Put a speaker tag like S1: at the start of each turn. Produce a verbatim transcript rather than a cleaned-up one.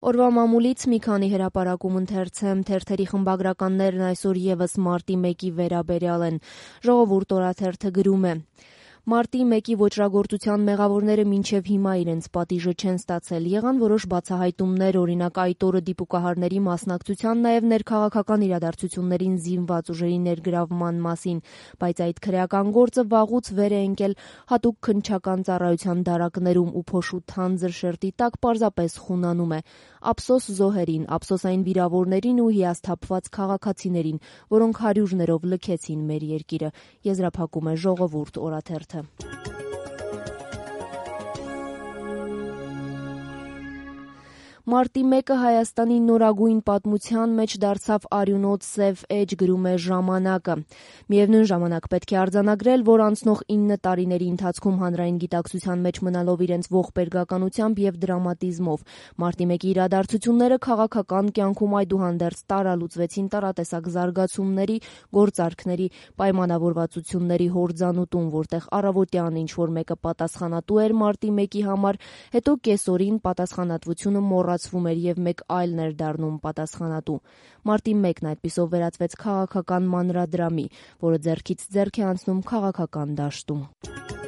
S1: Օրվա մամուլից մի քանի հրապարակում ընթերցեմ, թերթերի խմբագրականներն այսօր եւս մարտի մեկի վերաբերյալ են։ Ժողովուրդ օրաթերթը գրում է. Մարտի մեկի ոճրագործության մեղավորները մինչև հիմա իրենց պատիժը չեն ստացել։ Եղան որոշ բացահայտումներ, օրինակ այդ օրը դիպուկահարների մասնակցության, նաև ներքաղաքական իրադարձություններին զինված ուժերի ներգրավման մասին, բայց այդ քրեական գործը վաղուց վեր է ընկել հատուկ քննչական ծառայության դարակներում ու փոշու թանձր շերտի տակ պարզապես խունանում է։ Ափսոս զոհերին, ափսոս այն վիրավորներին ու հիասթափված քաղաքացիներին, որոնք հարյուրներով լքեցին մեր երկիրը, եզրափակում է Ժողովուրդ օրաթերթը։ Մարտի մեկը Հայաստանի նորագույն պատմության մեջ դարձավ արյունոտ սև էջ, գրում է «Ժամանակը»։ Միևնույն ժամանակ պետք է արձանագրել, որ անցնող ինը տարիների ընթացքում հանրային գիտակցության մեջ մնալով իրենց ողբերգականությամբ եւ դրամատիզմով մարտի մեկի իրադարձությունները քաղաքական կյանքում այդուհանդերձ տարալուծվեցին տարատեսակ զարգացումների, գործարքների, պայմանավորվածությունների հորձանուտում, որտեղ առավոտյան ինչ-որ մեկը պատասխանատու էր մարտի մեկի համար, հետո կեսօրին պատասխանատվությունը մոռացվում էր եւ մեկ այլն էր դառնում պատասխանատու։ Մարտի մեկն այդպիսով վերածվեց քաղաքական մանրադրամի, որը ձեռքից ձեռք է անցնում քաղաքական դաշտում։